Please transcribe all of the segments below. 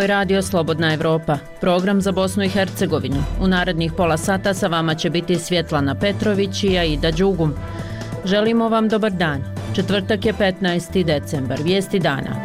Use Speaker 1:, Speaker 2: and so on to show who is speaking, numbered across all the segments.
Speaker 1: Ovo je Radio Slobodna Evropa, program za Bosnu i Hercegovinu. U narednih pola sata sa vama će biti Svjetlana Petrović i Aida Đugum. Želimo vam dobar dan. Četvrtak je 15. decembar. Vijesti dana.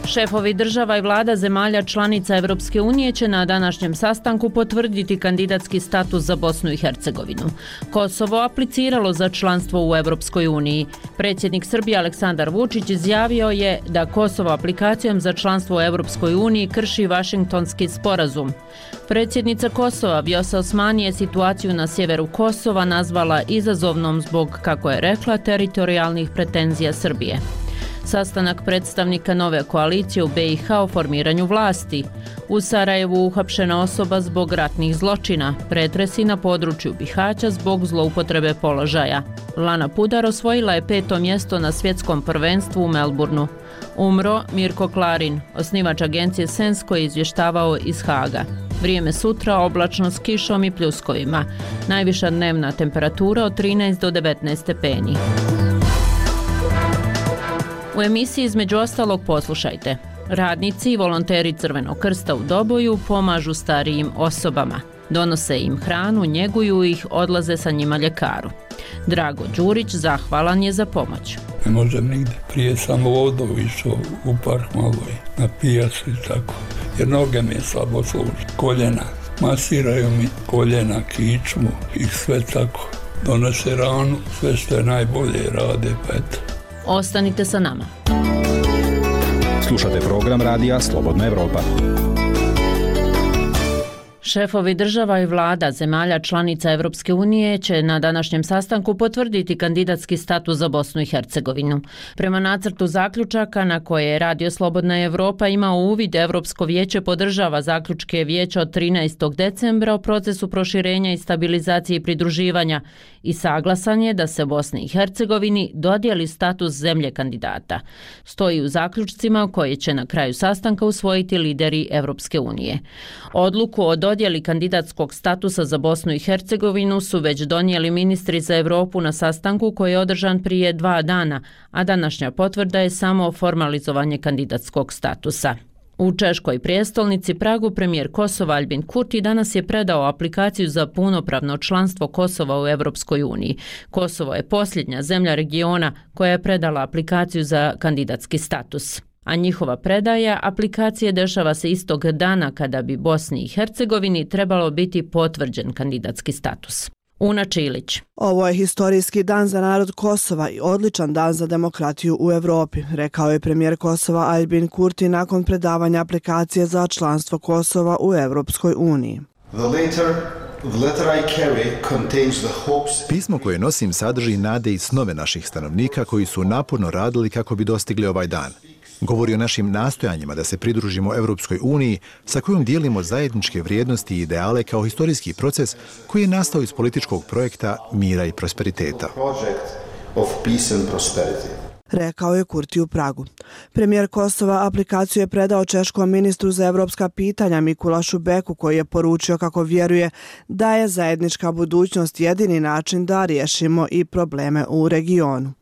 Speaker 1: Šefovi država i vlada zemalja članica Europske unije će na današnjem sastanku potvrditi kandidatski status za Bosnu i Hercegovinu. Kosovo apliciralo za članstvo u Europskoj uniji. Predsjednik Srbije Aleksandar Vučić izjavio je da Kosovo aplikacijom za članstvo u Europskoj uniji krši Vašingtonski sporazum. Predsjednica Kosova Vjosa Osmani je situaciju na sjeveru Kosova nazvala izazovnom zbog, kako je rekla, teritorijalnih pretenzija Srbije. Sastanak predstavnika nove koalicije u BiH o formiranju vlasti. U Sarajevu uhapšena osoba zbog ratnih zločina, pretresi na području Bihaća zbog zloupotrebe položaja. Lana Pudar osvojila je 5. mjesto na svjetskom prvenstvu u Melbourneu. Umro Mirko Klarin, osnivač agencije Sens koji je izvještavao iz Haga. Vrijeme sutra oblačno s kišom i pljuskovima. Najviša dnevna temperatura od 13 do 19 stepeni. U emisiji između ostalog poslušajte. Radnici i volonteri Crvenog krsta u Doboju pomažu starijim osobama. Donose im hranu, njeguju ih, odlaze sa njima ljekaru. Drago Đurić zahvalan je za pomoć.
Speaker 2: Ne možem nigde. Prije sam vodu išao u park malo i na pijacu i tako. Jer noge mi je slabo služe. Koljena. Masiraju mi koljena, kičmu i sve tako. Donose ranu, sve što je najbolje rade, pa eto.
Speaker 1: Ostanite sa nama.
Speaker 3: Slušate program Radija Slobodna Evropa.
Speaker 1: Šefovi država i vlada zemalja članica Europske unije će na današnjem sastanku potvrditi kandidatski status za Bosnu i Hercegovinu. Prema nacrtu zaključaka na koje je Radio Slobodna Evropa imao uvid, Europsko vijeće podržava zaključke vijeća od 13. decembra o procesu proširenja i stabilizacije i pridruživanja i saglasan je da se Bosni i Hercegovini dodijeli status zemlje kandidata. Stoji u zaključcima koje će na kraju sastanka usvojiti lideri Europske unije. Odluku o dodjeli kandidatskog statusa za Bosnu i Hercegovinu su već donijeli ministri za Europu na sastanku koji je održan prije 2 dana, a današnja potvrda je samo formalizovanje kandidatskog statusa. U češkoj prijestolnici Pragu premijer Kosova Albin Kurti danas je predao aplikaciju za punopravno članstvo Kosova u Europskoj uniji. Kosovo je posljednja zemlja regiona koja je predala aplikaciju za kandidatski status. A njihova predaja aplikacije dešava se istog dana kada bi Bosni i Hercegovini trebalo biti potvrđen kandidatski status. Una Čilić.
Speaker 4: Ovo je historijski dan za narod Kosova i odličan dan za demokratiju u Europi, rekao je premijer Kosova Albin Kurti nakon predavanja aplikacije za članstvo Kosova u Europskoj uniji.
Speaker 5: Pismo koje nosim sadrži nade i snove naših stanovnika koji su naporno radili kako bi dostigli ovaj dan. Govori o našim nastojanjima da se pridružimo Europskoj uniji sa kojom dijelimo zajedničke vrijednosti i ideale kao historijski proces koji je nastao iz političkog projekta mira i prosperiteta.
Speaker 4: Rekao je Kurti u Pragu. Premijer Kosova aplikaciju je predao češkom ministru za evropska pitanja Mikulašu Beku koji je poručio kako vjeruje da je zajednička budućnost jedini način da riješimo i probleme u regionu.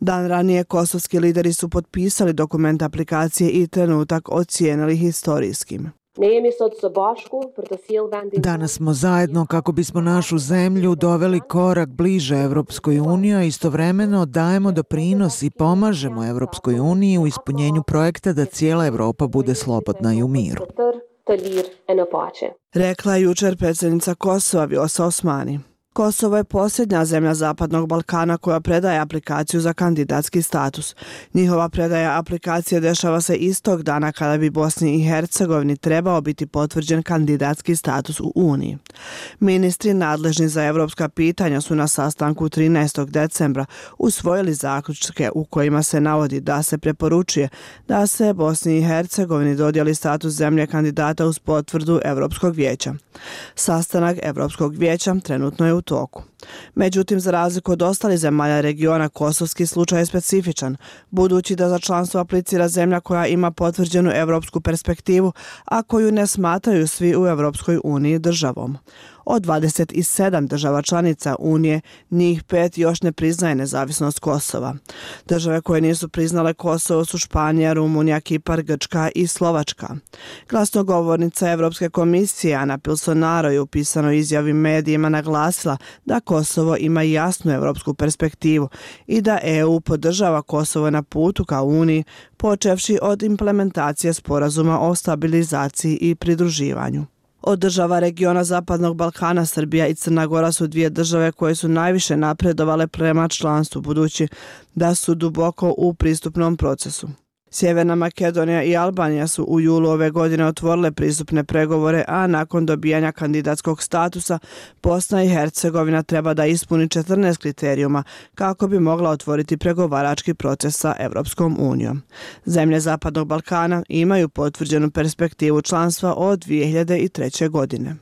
Speaker 4: Dan ranije kosovski lideri su potpisali dokument aplikacije i trenutak ocijenili historijskim.
Speaker 6: Danas smo zajedno kako bismo našu zemlju doveli korak bliže Europskoj uniji, a istovremeno dajemo doprinos i pomažemo Europskoj uniji u ispunjenju projekta da cijela Europa bude slobodna i u miru.
Speaker 4: Rekla je jučer predsjednica Kosova Vjosa Osmani. Kosovo je posljednja zemlja Zapadnog Balkana koja predaje aplikaciju za kandidatski status. Njihova predaja aplikacije dešava se istog dana kada bi Bosni i Hercegovini trebao biti potvrđen kandidatski status u Uniji. Ministri nadležni za evropska pitanja su na sastanku 13. decembra usvojili zaključke u kojima se navodi da se preporučuje da se Bosni i Hercegovini dodijeli status zemlje kandidata uz potvrdu Europskog vijeća. Sastanak Europskog vijeća trenutno je u u toku. Međutim, za razliku od ostalih zemalja regiona, kosovski slučaj je specifičan, budući da za članstvo aplicira zemlja koja ima potvrđenu evropsku perspektivu, a koju ne smatraju svi u Evropskoj uniji državom. Od 27 država članica Unije, njih 5 još ne priznaje nezavisnost Kosova. Države koje nisu priznale Kosovo su Španija, Rumunija, Kipar, Grčka i Slovačka. Glasnogovornica Evropske komisije Ana Pilsonaro je u pisanoj izjavi medijima naglasila da Kosovo ima jasnu evropsku perspektivu i da EU podržava Kosovo na putu ka Uniji, počevši od implementacije sporazuma o stabilizaciji i pridruživanju. Od država regiona Zapadnog Balkana, Srbija i Crna Gora su dvije države koje su najviše napredovale prema članstvu, budući da su duboko u pristupnom procesu. Sjeverna Makedonija i Albanija su u julu ove godine otvorile pristupne pregovore, a nakon dobijanja kandidatskog statusa Bosna i Hercegovina treba da ispuni 14 kriterijuma kako bi mogla otvoriti pregovarački proces sa Evropskom unijom. Zemlje Zapadnog Balkana imaju potvrđenu perspektivu članstva od 2003. godine.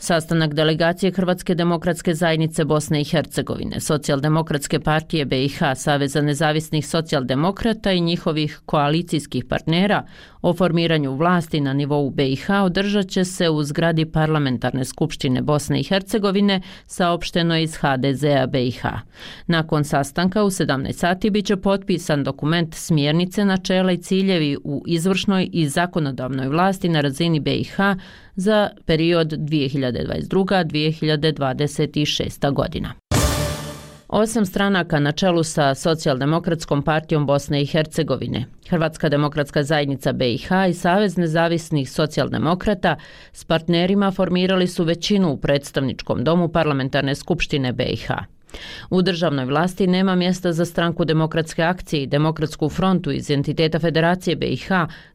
Speaker 1: Sastanak delegacije Hrvatske demokratske zajednice Bosne i Hercegovine, Socijaldemokratske partije BiH, Saveza nezavisnih socijaldemokrata i njihovih koalicijskih partnera o formiranju vlasti na nivou BiH održat će se u zgradi Parlamentarne skupštine Bosne i Hercegovine, saopšteno iz HDZ-a BiH. Nakon sastanka u 17 sati biće potpisan dokument smjernice, načela i ciljevi u izvršnoj i zakonodavnoj vlasti na razini BiH za period 2022-2026. godina. 8 stranaka na čelu sa Socijaldemokratskom partijom Bosne i Hercegovine, Hrvatska demokratska zajednica BiH i Savez nezavisnih socijaldemokrata s partnerima formirali su većinu u predstavničkom domu Parlamentarne skupštine BiH. U državnoj vlasti nema mjesta za Stranku demokratske akcije i Demokratsku frontu iz entiteta Federacije BiH,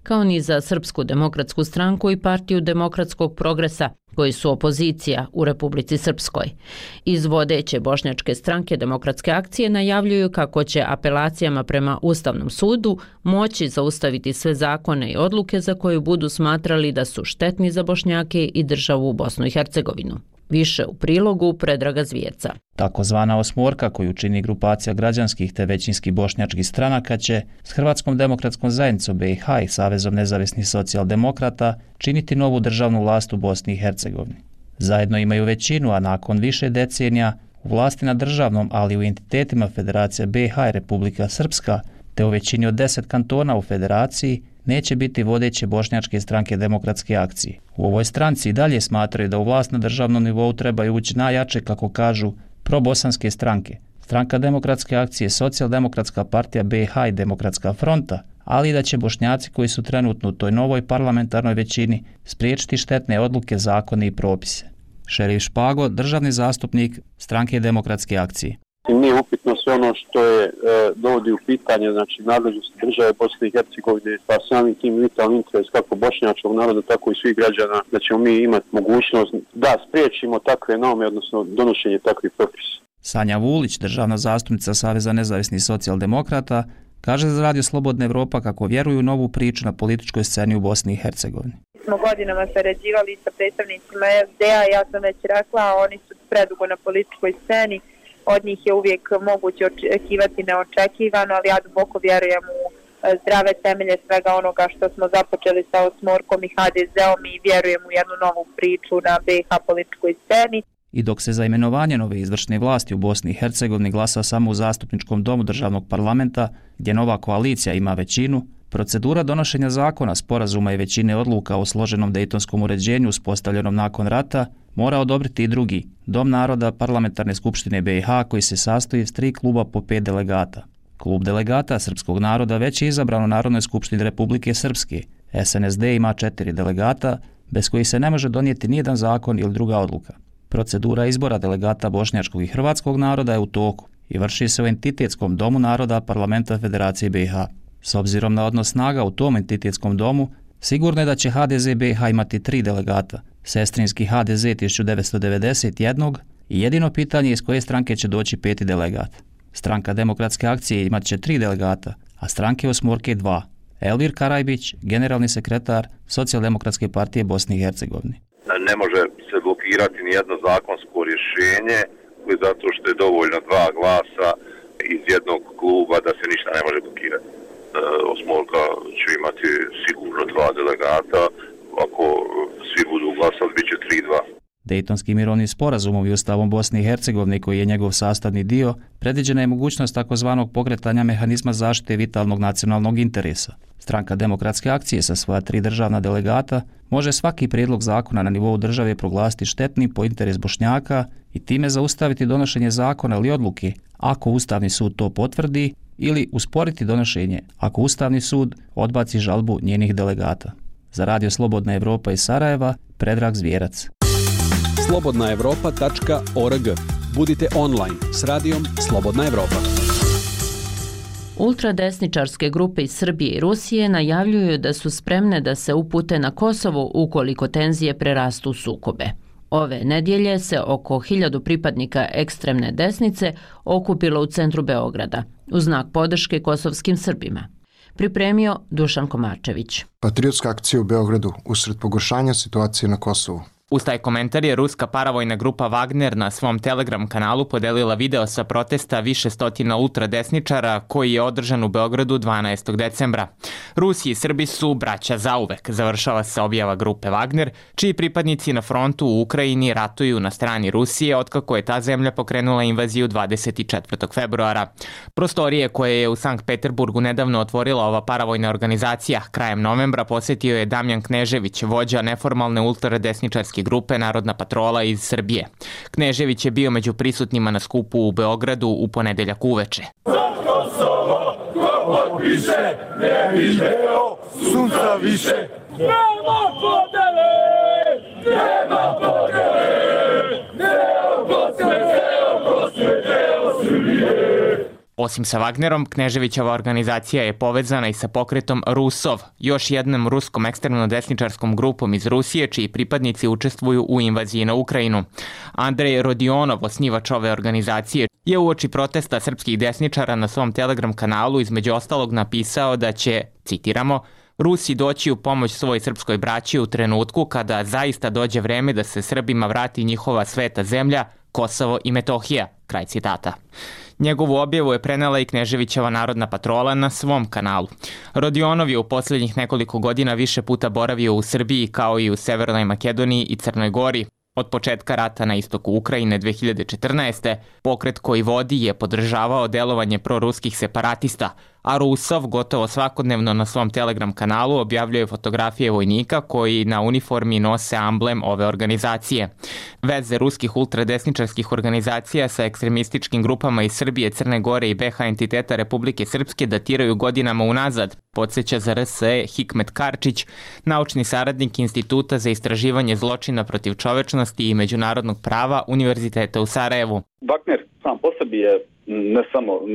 Speaker 1: kao ni za Srpsku demokratsku stranku i Partiju demokratskog progresa, koji su opozicija u Republici Srpskoj. Iz vodeće bošnjačke stranke Demokratske akcije najavljuju kako će apelacijama prema Ustavnom sudu moći zaustaviti sve zakone i odluke za koje budu smatrali da su štetni za Bošnjake i državu Bosnu i Hercegovinu. Više u prilogu Predraga Zvjerca.
Speaker 7: Takozvana osmorka koju čini grupacija građanskih te većinskih bošnjačkih stranaka će s Hrvatskom demokratskom zajednicom BiH i Savezom nezavisnih socijaldemokrata činiti novu državnu vlast u Bosni i Hercegovini. Zajedno imaju većinu, a nakon više decenija u vlasti na državnom, ali u entitetima Federacija BiH i Republika Srpska, te u većini od 10 kantona u Federaciji, neće biti vodeće bošnjačke stranke Demokratske akcije. U ovoj stranci i dalje smatraju da u vlast na državnom nivou trebaju ući najjače, kako kažu, probosanske stranke. Stranka Demokratske akcije, Socijaldemokratska partija BiH i Demokratska fronta, ali i da će Bošnjaci koji su trenutno u toj novoj parlamentarnoj većini spriječiti štetne odluke, zakone i propise. Šerif Špago, državni zastupnik stranke Demokratske akcije.
Speaker 8: Nije upitno sve ono što je dovodi u pitanje, znači nadležnost države Bosne i Hercegovine, pa samim tim vitalni interes kako bošnjačkog naroda, tako i svih građana, da ćemo mi imati mogućnost da spriječimo takve norme, odnosno donošenje takvih propisa.
Speaker 7: Sanja Vulić, državna zastupnica Saveza nezavisnih socijaldemokrata, kaže za Radio Slobodna Evropa kako vjeruju u novu priču na političkoj sceni u Bosni i Hercegovini.
Speaker 9: Smo godinama sarađivali sa predstavnicima FDA, ja sam već rekla, oni su predugo na političkoj sceni. Od njih je uvijek moguće očekivati neočekivano, ali ja duboko vjerujem u zdrave temelje svega onoga što smo započeli sa osmorkom i HDZ-om i vjerujem u jednu novu priču na BiH političkoj sceni.
Speaker 7: I dok se za imenovanje nove izvršne vlasti u Bosni i Hercegovini glasa samo u zastupničkom domu državnog parlamenta, gdje nova koalicija ima većinu, procedura donošenja zakona, sporazuma i većine odluka o složenom dejtonskom uređenju uspostavljenom nakon rata mora odobriti i drugi, Dom naroda Parlamentarne skupštine BiH, koji se sastoji iz 3 kluba po 5 delegata. Klub delegata srpskog naroda već je izabran u Narodnoj skupštini Republike Srpske. SNSD ima 4 delegata, bez kojih se ne može donijeti nijedan zakon ili druga odluka. Procedura izbora delegata bošnjačkog i hrvatskog naroda je u toku i vrši se u entitetskom domu naroda Parlamenta Federacije BiH. S obzirom na odnos snaga u tom entitetskom domu, sigurno je da će HDZ BiH imati 3 delegata, sestrinski HDZ 1991 i jedino pitanje iz koje stranke će doći 5. delegat. Stranka Demokratske akcije imat će 3 delegata, a stranke osmorke 2. Elvir Karajbić, generalni sekretar Socijaldemokratske partije Bosne i Hercegovine.
Speaker 10: Ne može se blokirati nijedno zakonsko rješenje zato što je dovoljno 2 glasa iz jednog kluba da se ništa ne može blokirati. Osmolka će imati sigurno 2 delegata, ako svi budu glasali bit će 3-2.
Speaker 7: Dejtonskim mirovnim sporazumom i Ustavom Bosne i Hercegovine, koji je njegov sastavni dio, predviđena je mogućnost takozvanog pokretanja mehanizma zaštite vitalnog nacionalnog interesa. Stranka Demokratske akcije sa svoja 3 državna delegata može svaki prijedlog zakona na nivou države proglasiti štetnim po interes Bošnjaka i time zaustaviti donošenje zakona ili odluke ako Ustavni sud to potvrdi ili usporiti donošenje ako Ustavni sud odbaci žalbu njenih delegata. Za Radio Slobodna Evropa iz Sarajeva, Predrag Zvjerac.
Speaker 11: slobodnaevropa.org. Budite online s radijom Slobodna Evropa.
Speaker 1: Ultradesničarske grupe iz Srbije i Rusije najavljuju da su spremne da se upute na Kosovo ukoliko tenzije prerastu u sukobe. Ove nedjelje se oko 1000 pripadnika ekstremne desnice okupilo u centru Beograda u znak podrške kosovskim Srbima. Pripremio Dušan Komarčević.
Speaker 12: Patriotska akcija u Beogradu usred pogoršanja situacije na Kosovu.
Speaker 13: Uz taj komentar je ruska paravojna grupa Wagner na svom Telegram kanalu podelila video sa protesta više stotina ultradesničara koji je održan u Beogradu 12. decembra. Rusi i Srbi su braća zauvek, završava se objava grupe Wagner, čiji pripadnici na frontu u Ukrajini ratuju na strani Rusije otkako je ta zemlja pokrenula invaziju 24. februara. Prostorije koje je u Sankt Peterburgu nedavno otvorila ova paravojna organizacija krajem novembra posjetio je Damjan Knežević, vođa neformalne ultradesničarske grupe Narodna patrola iz Srbije. Knežević je bio među prisutnima na skupu u Beogradu u ponedeljak uveče.
Speaker 14: Za Kosovo, ko više, ne video, sunca više. Nema podele, nema podele, deo Kosove, deo Srbije.
Speaker 13: Osim sa Wagnerom, Kneževićeva organizacija je povezana i sa pokretom Rusov, još jednom ruskom ekstremno-desničarskom grupom iz Rusije, čiji pripadnici učestvuju u invaziji na Ukrajinu. Andrej Rodionov, osnivač ove organizacije, je uoči protesta srpskih desničara na svom Telegram kanalu između ostalog napisao da će, citiramo, Rusi doći u pomoć svoj srpskoj braći u trenutku kada zaista dođe vreme da se Srbima vrati njihova sveta zemlja, Kosovo i Metohija, kraj citata. Njegovu objavu je prenela i Kneževićeva Narodna patrola na svom kanalu. Rodionov je u posljednjih nekoliko godina više puta boravio u Srbiji kao i u Severnoj Makedoniji i Crnoj Gori. Od početka rata na istoku Ukrajine 2014. pokret koji vodi je podržavao delovanje proruskih separatista, a Rusov gotovo svakodnevno na svom Telegram kanalu objavljuje fotografije vojnika koji na uniformi nose amblem ove organizacije. Veze ruskih ultradesničarskih organizacija sa ekstremističkim grupama iz Srbije, Crne Gore i BiH entiteta Republike Srpske datiraju godinama unazad, podsjeća za RSE Hikmet Karčić, naučni saradnik Instituta za istraživanje zločina protiv čovečnosti i međunarodnog prava Univerziteta u Sarajevu.
Speaker 15: Wagner sam po sebi je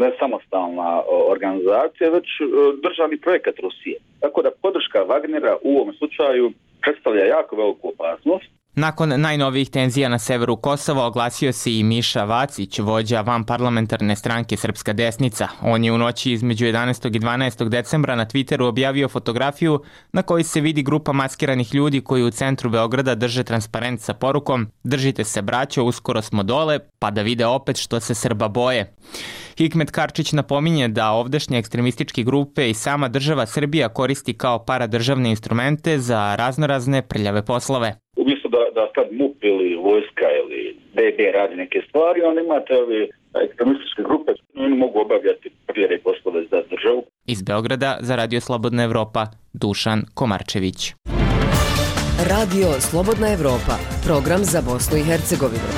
Speaker 15: ne samostalna organizacija, već državni projekat Rusije. Tako da podrška Wagnera u ovom slučaju predstavlja jako veliku opasnost.
Speaker 13: Nakon najnovijih tenzija na severu Kosova oglasio se i Miša Vacić, vođa vanparlamentarne stranke Srpska desnica. On je u noći između 11. i 12. decembra na Twitteru objavio fotografiju na kojoj se vidi grupa maskiranih ljudi koji u centru Beograda drže transparent sa porukom "Držite se braćo, uskoro smo dole", pa da vide opet što se Srba boje. Hikmet Karčić napominje da ovdašnje ekstremističke grupe i sama država Srbija koristi kao paradržavne instrumente za raznorazne prljave poslove.
Speaker 15: Umjesto da sad MUP ili vojska ili BB radi neke stvari, onda imate ove ekstremističke grupe, oni mogu obavljati prljave poslove za državu.
Speaker 13: Iz Beograda za Radio Slobodna Evropa, Dušan Komarčević.
Speaker 16: Radio Slobodna Evropa, program za Bosnu i Hercegovinu.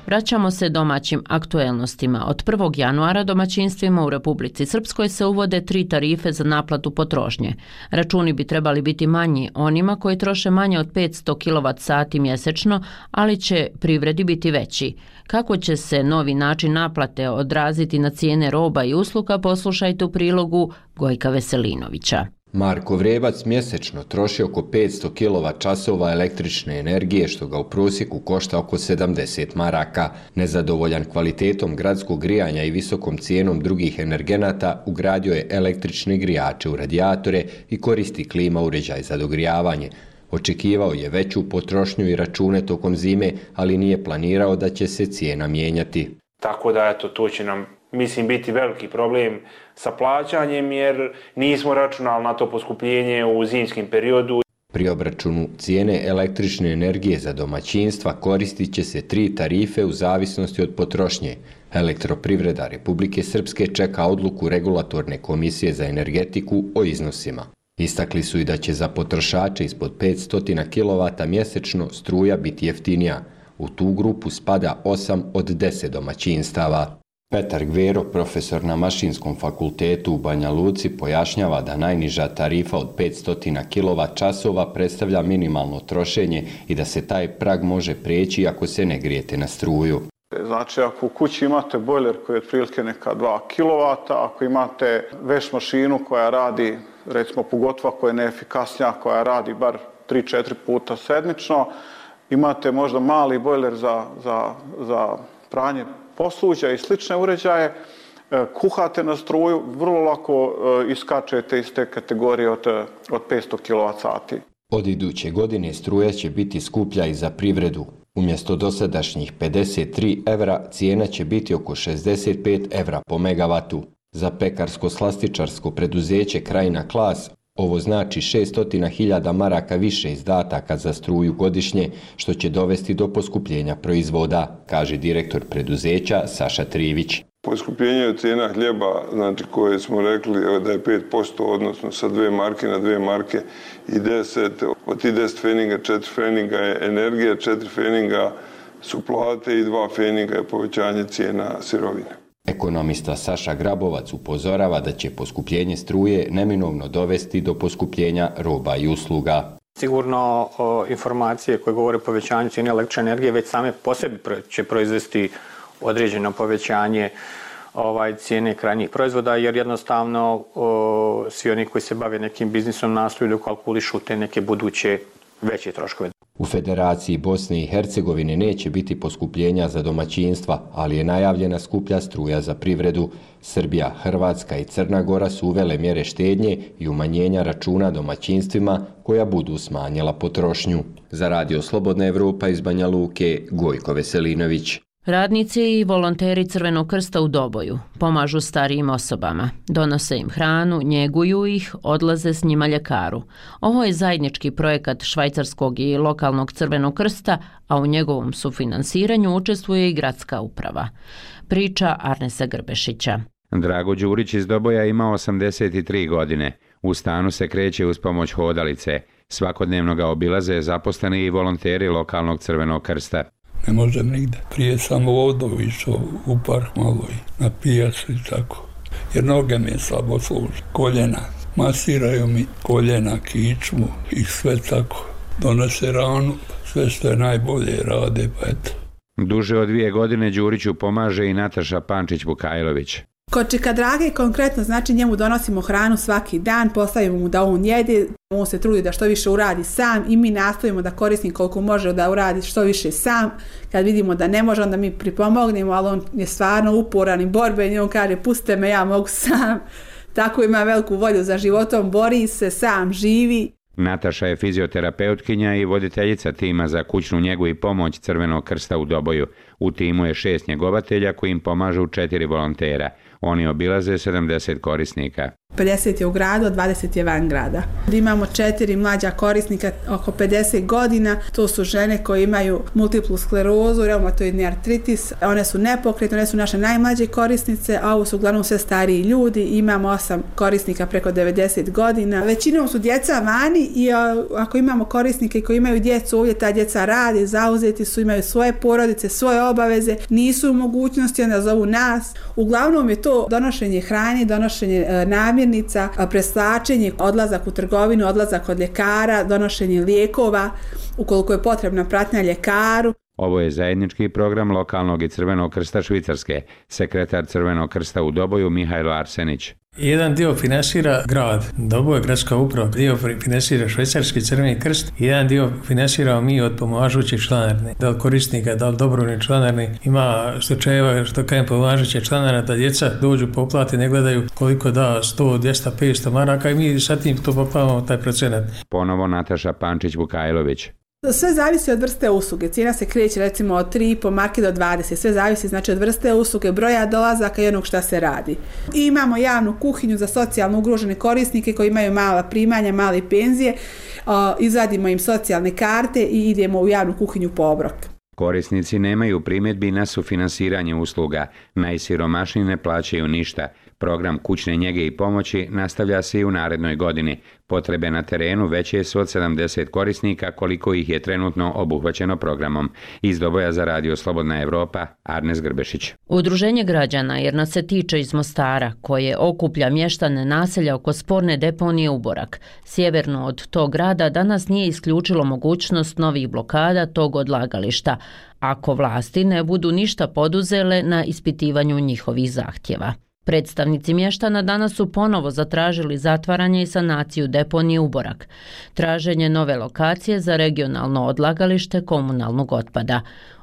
Speaker 1: Vraćamo se domaćim aktuelnostima. Od 1. januara domaćinstvima u Republici Srpskoj se uvode 3 tarife za naplatu potrošnje. Računi bi trebali biti manji onima koji troše manje od 500 kWh mjesečno, ali će privredi biti veći. Kako će se novi način naplate odraziti na cijene roba i usluga, poslušajte u prilogu Gojka Veselinovića.
Speaker 17: Marko Vrebac mjesečno troši oko 500 kWh električne energije, što ga u prosjeku košta oko 70 maraka. Nezadovoljan kvalitetom gradskog grijanja i visokom cijenom drugih energenata, ugradio je električne grijače u radijatore i koristi klima uređaj za dogrijavanje. Očekivao je veću potrošnju i račune tokom zime, ali nije planirao da će se cijena mijenjati.
Speaker 18: Tako da eto, to će nam, mislim, biti veliki problem sa plaćanjem jer nismo računali na to poskupljenje u zimskim periodu.
Speaker 17: Pri obračunu cijene električne energije za domaćinstva koristit će se 3 tarife u zavisnosti od potrošnje. Elektroprivreda Republike Srpske čeka odluku Regulatorne komisije za energetiku o iznosima. Istakli su i da će za potrošače ispod 500 kW mjesečno struja biti jeftinija. U tu grupu spada 8 od 10 domaćinstava. Petar Gvero, profesor na Mašinskom fakultetu u Banja Luci, pojašnjava da najniža tarifa od 500 kWh predstavlja minimalno trošenje i da se taj prag može prijeći ako se ne grijete na struju.
Speaker 19: Znači, ako u kući imate bojler koji je otprilike neka 2 kW, ako imate veš mašinu koja radi, recimo Pugotva koja je neefikasnija, koja radi bar 3-4 puta sedmično, imate možda mali bojler za pranje posuđa i slične uređaje, kuhate na struju, vrlo lako iskačete iz te kategorije od 500 kWh.
Speaker 17: Od iduće godine struja će biti skuplja i za privredu. Umjesto dosadašnjih 53 evra, cijena će biti oko 65 evra po megavatu. Za pekarsko-slastičarsko preduzeće Krajina Klas ovo znači 600.000 maraka više izdataka za struju godišnje, što će dovesti do poskupljenja proizvoda, kaže direktor preduzeća Saša Trivić.
Speaker 20: Poskupljenje cijena hljeba, znači koje smo rekli da je 5%, odnosno sa 2 marke na 2 marke i 10, od tih 10 feninga, 4 feninga je energija, 4 feninga su plate i 2 feninga je povećanje cijena sirovine.
Speaker 17: Ekonomista Saša Grabovac upozorava da će poskupljenje struje neminovno dovesti do poskupljenja roba i usluga.
Speaker 21: Sigurno informacije koje govore o povećanju cijene električne energije već same po sebi će proizvesti određeno povećanje cijene krajnjih proizvoda, jer jednostavno svi oni koji se bave nekim biznisom nastoju da kalkulišu te neke buduće veće troškove.
Speaker 17: U Federaciji Bosne i Hercegovine neće biti poskupljenja za domaćinstva, ali je najavljena skuplja struja za privredu. Srbija, Hrvatska i Crna Gora su uvele mjere štednje i umanjenja računa domaćinstvima koja budu smanjila potrošnju. Za Radio Slobodna Evropa iz Banja Luke, Gojko Veselinović.
Speaker 1: Radnici i volonteri Crvenog krsta u Doboju pomažu starijim osobama, donose im hranu, njeguju ih, odlaze s njima ljekaru. Ovo je zajednički projekat švajcarskog i lokalnog Crvenog krsta, a u njegovom sufinansiranju učestvuje i gradska uprava. Priča Arnesa Grbešića.
Speaker 22: Drago Đurić iz Doboja ima 83 godine. U stanu se kreće uz pomoć hodalice. Svakodnevno ga obilaze zaposleni i volonteri lokalnog Crvenog krsta.
Speaker 2: Ne možem nigde. Prije sam ovdje išao u park malo i na pijacu i tako. Jer noge mi slabo služe. Koljena. Masiraju mi koljena, kičmu i sve tako. Donose ranu, sve što je najbolje rade, pa eto.
Speaker 22: Duže od 2 godine Đuriću pomaže i Nataša Pančić-Vukajlović.
Speaker 23: Kod Čika Drage konkretno znači njemu donosimo hranu svaki dan, postavimo mu da on jede, on se trudi da što više uradi sam i mi nastojimo da korisnik koliko može da uradi što više sam. Kad vidimo da ne može, onda mi pripomognemo, ali on je stvarno uporan i borben i on kaže pustite me, ja mogu sam. Tako ima veliku volju za životom, bori se, sam živi.
Speaker 22: Nataša je fizioterapeutkinja i voditeljica tima za kućnu njegu i pomoć Crvenog krsta u Doboju. U timu je 6 njegovatelja koji im pomažu 4 volontera. Oni obilaze 70 korisnika.
Speaker 23: 50 je u gradu, 20 je van grada. Imamo 4 mlađa korisnika oko 50 godina. To su žene koje imaju multiplu sklerozu, reumatoidni artritis. One su nepokretne, one su naše najmlađe korisnice, a ovo su uglavnom sve stariji ljudi. Imamo 8 korisnika preko 90 godina. Većinom su djeca vani i ako imamo korisnike koji imaju djecu, ovdje ta djeca rade, zauzeti su, imaju svoje porodice, svoje obaveze, nisu u mogućnosti, onda zovu nas. Uglavnom je to donošenje hrane, donošenje namirnica, preslačenje, odlazak u trgovinu, odlazak od ljekara, donošenje lijekova, ukoliko je potrebna pratnja ljekaru.
Speaker 22: Ovo je zajednički program lokalnog i Crvenog krsta Švicarske, sekretar Crvenog krsta u Doboju Mihajlo Arsenić.
Speaker 3: Jedan dio finansira grad, Doboj, gradska uprava, dio finansira Švicarski Crveni krst, jedan dio finansiramo mi od pomažućih članarne, da li korisnika, da li dobrovoljni članarni. Ima slučajeva što kajem pomažuće članarna da djeca dođu po uplati, ne gledaju koliko da 100, 200, 500 maraka i mi sa tim to poplavamo taj procenat.
Speaker 22: Ponovo Nataša Pančić-Vukajlović.
Speaker 23: Sve zavisi od vrste usluge. Cijena se kreće recimo od 3,5 marke do 20. Sve zavisi znači od vrste usluge, broja dolazaka i onog šta se radi. I imamo javnu kuhinju za socijalno ugrožene korisnike koji imaju mala primanja, male penzije. Izvadimo im socijalne karte i idemo u javnu kuhinju po obrok.
Speaker 22: Korisnici nemaju primjedbi na sufinansiranje usluga. Najsiromašniji ne plaćaju ništa. Program kućne njege i pomoći nastavlja se i u narednoj godini. Potrebe na terenu veće su od 70 korisnika koliko ih je trenutno obuhvaćeno programom. Iz Doboja za Radio Slobodna Evropa, Arnes Grbešić.
Speaker 1: Udruženje građana jer nas se tiče iz Mostara, koje okuplja mještane naselja oko sporne deponije Uborak. Sjeverno od tog grada danas nije isključilo mogućnost novih blokada tog odlagališta, ako vlasti ne budu ništa poduzele na ispitivanju njihovih zahtjeva. Predstavnici mještana danas su ponovo zatražili zatvaranje i sanaciju deponije Uborak, traženje nove lokacije za regionalno odlagalište komunalnog otpada.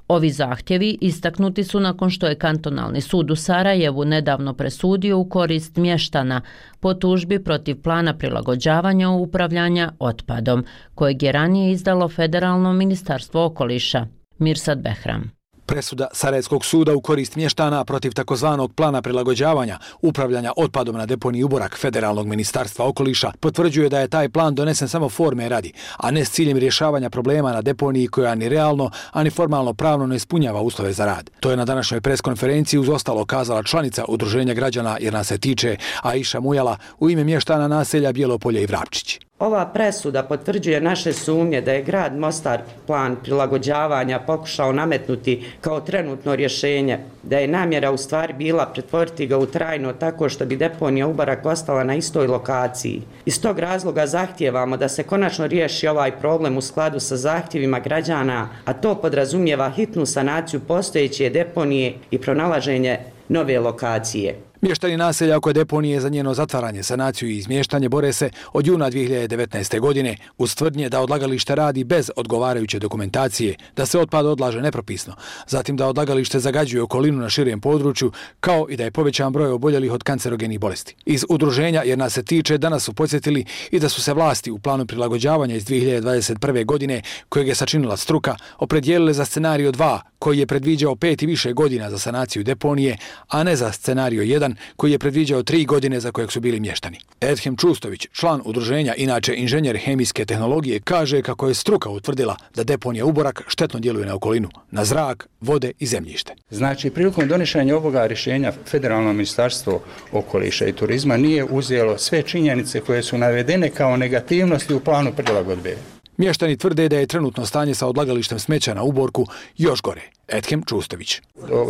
Speaker 1: Ovi zahtjevi istaknuti su nakon što je kantonalni sud u Sarajevu nedavno presudio u korist mještana po tužbi protiv plana prilagođavanja upravljanja otpadom, kojeg je ranije izdalo Federalno ministarstvo okoliša. Mirsad Behram.
Speaker 5: Presuda Sarajevskog suda u korist mještana protiv takozvanog plana prilagođavanja upravljanja otpadom na deponiji Uborak Federalnog ministarstva okoliša potvrđuje da je taj plan donesen samo forme radi, a ne s ciljem rješavanja problema na deponiji koja ni realno, ani formalno pravno ne ispunjava uslove za rad. To je na današnjoj preskonferenciji uz ostalo kazala članica Udruženja građana jer nas se tiče Aisha Mujala u ime mještana naselja Bjelopolje i Vrapčići.
Speaker 6: Ova presuda potvrđuje naše sumnje da je grad Mostar plan prilagođavanja pokušao nametnuti kao trenutno rješenje, da je namjera u stvari bila pretvoriti ga u trajno tako što bi deponija Uborak ostala na istoj lokaciji. Iz tog razloga zahtijevamo da se konačno riješi ovaj problem u skladu sa zahtjevima građana, a to podrazumijeva hitnu sanaciju postojeće deponije i pronalaženje nove lokacije.
Speaker 5: Mještani naselja oko deponije za njeno zatvaranje, sanaciju i izmještanje bore se od juna 2019. godine uz tvrdnje da odlagalište radi bez odgovarajuće dokumentacije, da se otpad odlaže nepropisno, zatim da odlagalište zagađuje okolinu na širem području, kao i da je povećan broj oboljelih od kancerogenih bolesti. Iz udruženja jer nas se tiče danas su podsjetili i da su se vlasti u planu prilagođavanja iz 2021. godine, kojeg je sačinila struka, opredijelile za scenario 2, koji je predviđao 5 i više godina za sanaciju deponije, a ne za scenario 1, koji je predviđao 3 godine za kojeg su bili mještani. Edhem Čustović, član udruženja, inače inženjer hemijske tehnologije, kaže kako je struka utvrdila da deponija Uborak štetno djeluje na okolinu, na zrak, vode i zemljište.
Speaker 24: Znači, prilikom donošenja ovoga rješenja Federalno ministarstvo okoliša i turizma nije uzelo sve činjenice koje su navedene kao negativnosti u planu prilagodbe.
Speaker 5: Mještani tvrde da je trenutno stanje sa odlagalištem smeća na Uborku još gore. Edhem Čustović.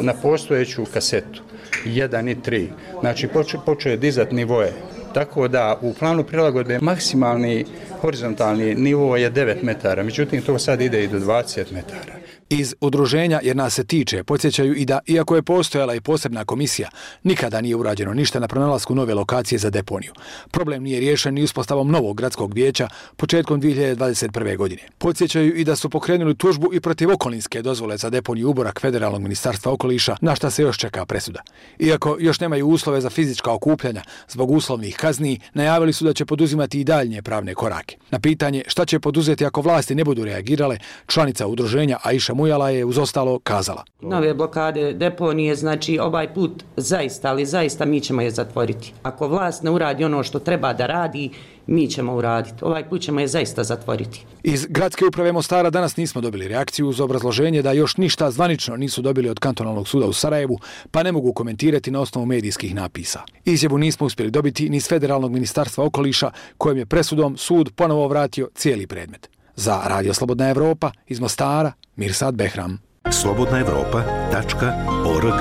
Speaker 24: Na postojeću kasetu 1 i 3, znači počeo je dizati nivoje. Tako da u planu prilagodbe maksimalni horizontalni nivo je 9 metara, međutim to sad ide i do 20 metara.
Speaker 5: Iz udruženja jer nas se tiče podsjećaju i da, iako je postojala i posebna komisija, nikada nije urađeno ništa na pronalasku nove lokacije za deponiju. Problem nije riješen ni uspostavom novog gradskog vijeća početkom 2021. godine. Podsjećaju i da su pokrenuli tužbu i protiv okolinske dozvole za deponiju Uborak Federalnog ministarstva okoliša, na šta se još čeka presuda. Iako još nemaju uslove za fizička okupljanja zbog uslovnih kazni, najavili su da će poduzimati i daljnje pravne korake. Na pitanje šta će poduzeti ako vlasti ne budu reagirale, članica udruženja Aisha Mujala je uz ostalo kazala.
Speaker 6: Nove blokade deponije, znači ovaj put zaista, ali zaista mi ćemo je zatvoriti. Ako vlast ne uradi ono što treba da radi, mi ćemo uraditi. Ovaj put ćemo je zaista zatvoriti.
Speaker 5: Iz gradske uprave Mostara danas nismo dobili reakciju uz obrazloženje da još ništa zvanično nisu dobili od kantonalnog suda u Sarajevu, pa ne mogu komentirati na osnovu medijskih napisa. Izjavu nismo uspjeli dobiti ni iz Federalnog ministarstva okoliša, kojem je presudom sud ponovo vratio cijeli predmet. Za Radio Slobodna Evropa iz Mostara, Mirsad Behram.
Speaker 25: slobodnaevropa.org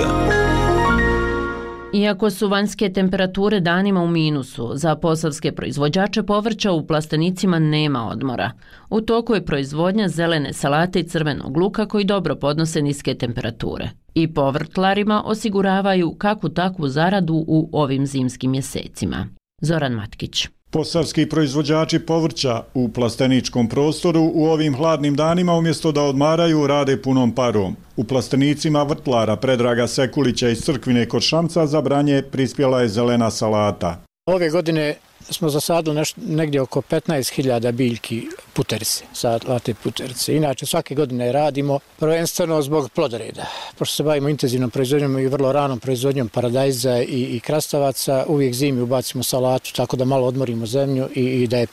Speaker 1: Iako su vanjske temperature danima u minusu, za posavske proizvođače povrća u plastenicima nema odmora. U toku je proizvodnja zelene salate i crvenog luka koji dobro podnose niske temperature. I povrtlarima osiguravaju kakvu takvu zaradu u ovim zimskim mjesecima. Zoran Matkić.
Speaker 4: Posavski proizvođači povrća u plasteničkom prostoru u ovim hladnim danima umjesto da odmaraju rade punom parom. U plastenicima vrtlara Predraga Sekulića iz Crkvine kod Šamca za branje prispjela je zelena salata.
Speaker 8: Ove godine smo zasadili negdje oko 15.000 biljki puterice, salate puterice. Inače svake godine radimo prvenstveno zbog plodoreda. Pošto se bavimo intenzivnom proizvodnjom i vrlo ranom proizvodnjom paradajza i krastavaca, uvijek zimi ubacimo salatu tako da malo odmorimo zemlju i da je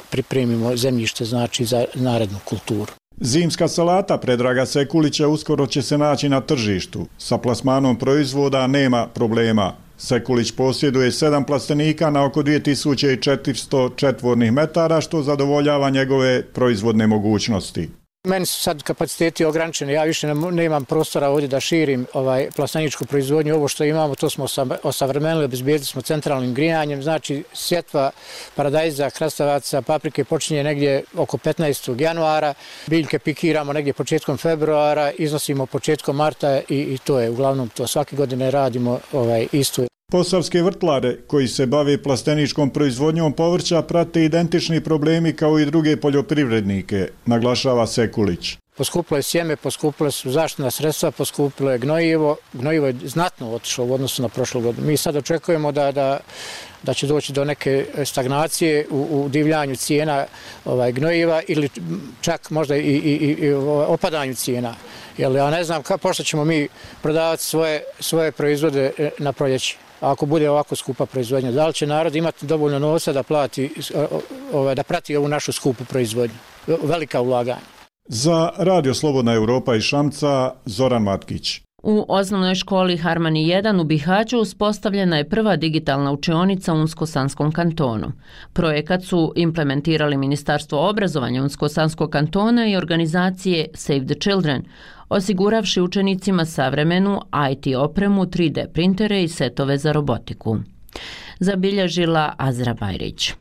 Speaker 8: pripremimo zemljište znači za narednu kulturu.
Speaker 4: Zimska salata Predraga Sekulića uskoro će se naći na tržištu. Sa plasmanom proizvoda nema problema. Sekulić posjeduje 7 plastenika na oko 2400 četvornih metara, što zadovoljava njegove proizvodne mogućnosti.
Speaker 8: Meni su sad kapaciteti ograničeni, ja više nemam prostora ovdje da širim plasteničku proizvodnju. Ovo što imamo, to smo osavremenili, obezbijedili smo centralnim grijanjem, znači sjetva paradajza, krastavaca, paprike počinje negdje oko 15. januara, biljke pikiramo negdje početkom februara, iznosimo početkom marta i to je uglavnom to. Svake godine radimo isto.
Speaker 4: Posavske vrtlare koji se bave plasteničkom proizvodnjom povrća prate identični problemi kao i druge poljoprivrednike, naglašava Sekulić.
Speaker 8: Poskupilo je sjeme, poskupilo su zaštitna sredstva, poskupilo je gnojivo. Gnojivo je znatno otišlo u odnosu na prošlu godinu. Mi sad očekujemo da će doći do neke stagnacije u divljanju cijena gnojiva ili čak možda i opadanju cijena. Jer ja ne znam pošto ćemo mi prodavati svoje proizvode na proljeće. Ako bude ovako skupa proizvodnja, da li će narod imati dovoljno novca da prati ovu našu skupu proizvodnju? Velika ulaganja.
Speaker 4: Za Radio Slobodna Europa iz Šamca, Zoran Matkić.
Speaker 1: U osnovnoj školi Harmani 1 u Bihaću uspostavljena je prva digitalna učionica u Unsko-Sanskom kantonu. Projekat su implementirali Ministarstvo obrazovanja Unsko-Sanskog kantona i organizacije Save the Children, osiguravši učenicima savremenu IT opremu, 3D printere i setove za robotiku. Zabilježila Azra Bajrić.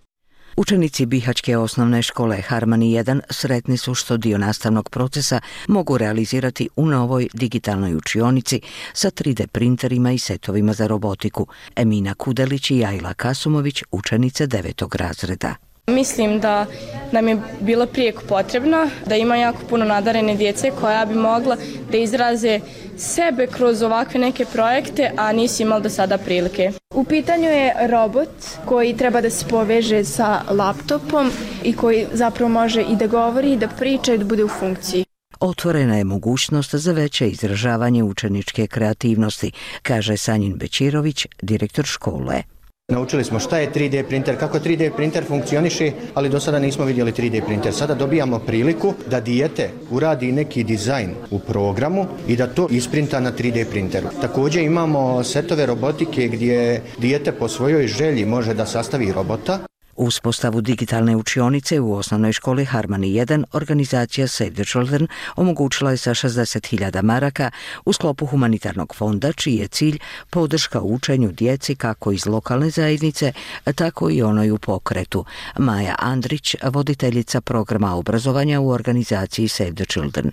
Speaker 9: Učenici Bihaćke osnovne škole Harmani 1 sretni su što dio nastavnog procesa mogu realizirati u novoj digitalnoj učionici sa 3D printerima i setovima za robotiku. Emina Kudelić i Ajla Kasumović, učenice 9. razreda.
Speaker 10: Mislim da nam je bilo prijeko potrebno, da ima jako puno nadarene djece koja bi mogla da izraze sebe kroz ovakve neke projekte, a nisi imali do sada prilike.
Speaker 25: U pitanju je robot koji treba da se poveže sa laptopom i koji zapravo može i da govori, i da priča i da bude u funkciji.
Speaker 9: Otvorena je mogućnost za veće izražavanje učeničke kreativnosti, kaže Sanjin Bečirović, direktor škole.
Speaker 26: Naučili smo šta je 3D printer, kako 3D printer funkcioniše, ali do sada nismo vidjeli 3D printer. Sada dobijamo priliku da dijete uradi neki dizajn u programu i da to isprinta na 3D printeru. Također imamo setove robotike gdje dijete po svojoj želji može da sastavi robota.
Speaker 9: Uspostavu digitalne učionice u osnovnoj školi Harmani 1 organizacija Save the Children omogućila je sa 60.000 maraka u sklopu humanitarnog fonda, čiji je cilj podrška učenju djeci kako iz lokalne zajednice, tako i onoj u pokretu. Maja Andrić, voditeljica programa obrazovanja u organizaciji Save the Children.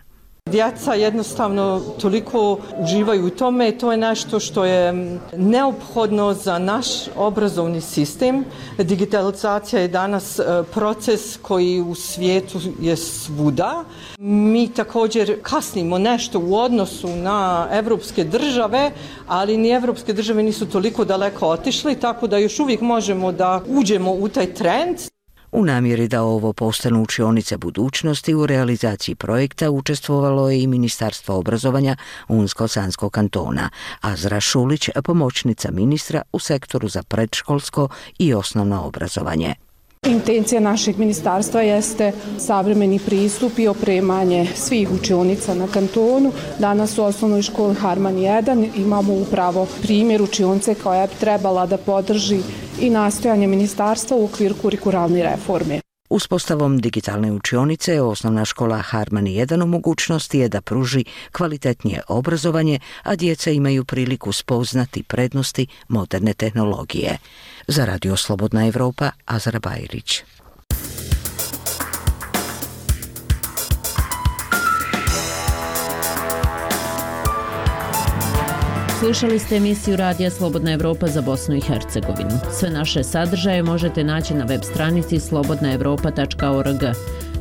Speaker 27: Djeca jednostavno toliko uživaju u tome, to je nešto što je neophodno za naš obrazovni sistem. Digitalizacija je danas proces koji u svijetu je svuda. Mi također kasnimo nešto u odnosu na evropske države, ali ni evropske države nisu toliko daleko otišli, tako da još uvijek možemo da uđemo u taj trend.
Speaker 9: U namjeri da ovo postanu učionice budućnosti u realizaciji projekta učestvovalo je i Ministarstvo obrazovanja Unsko-Sanskog kantona. Azra Šulić, pomoćnica ministra u sektoru za predškolsko i osnovno obrazovanje.
Speaker 28: Intencija našeg ministarstva jeste savremeni pristup i opremanje svih učionica na kantonu. Danas u osnovnoj školi Harmani 1 imamo upravo primjer učionice koja bi trebala da podrži i nastojanje ministarstva u okviru kurikularne reforme.
Speaker 9: Uspostavom digitalne učionice, osnovna škola Harmani 1 u mogućnosti je da pruži kvalitetnije obrazovanje, a djeca imaju priliku spoznati prednosti moderne tehnologije. Za Radio Slobodna Evropa, Azra Bajrić.
Speaker 1: Slušali ste emisiju Radija Slobodna Evropa za Bosnu i Hercegovinu. Sve naše sadržaje možete naći na web stranici slobodnaevropa.org,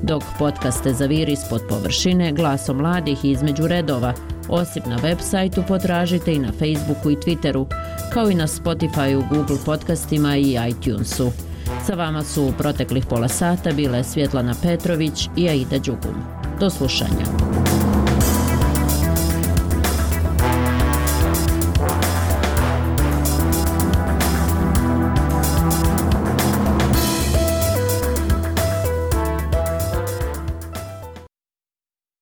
Speaker 1: dok podcaste Zaviri ispod površine, Glasom mladih i Između redova, osim na web sajtu, potražite i na Facebooku i Twitteru, kao i na Spotifyu, Google podcastima i iTunesu. Sa vama su u proteklih pola sata bile Svjetlana Petrović i Aida Đugum. Do slušanja.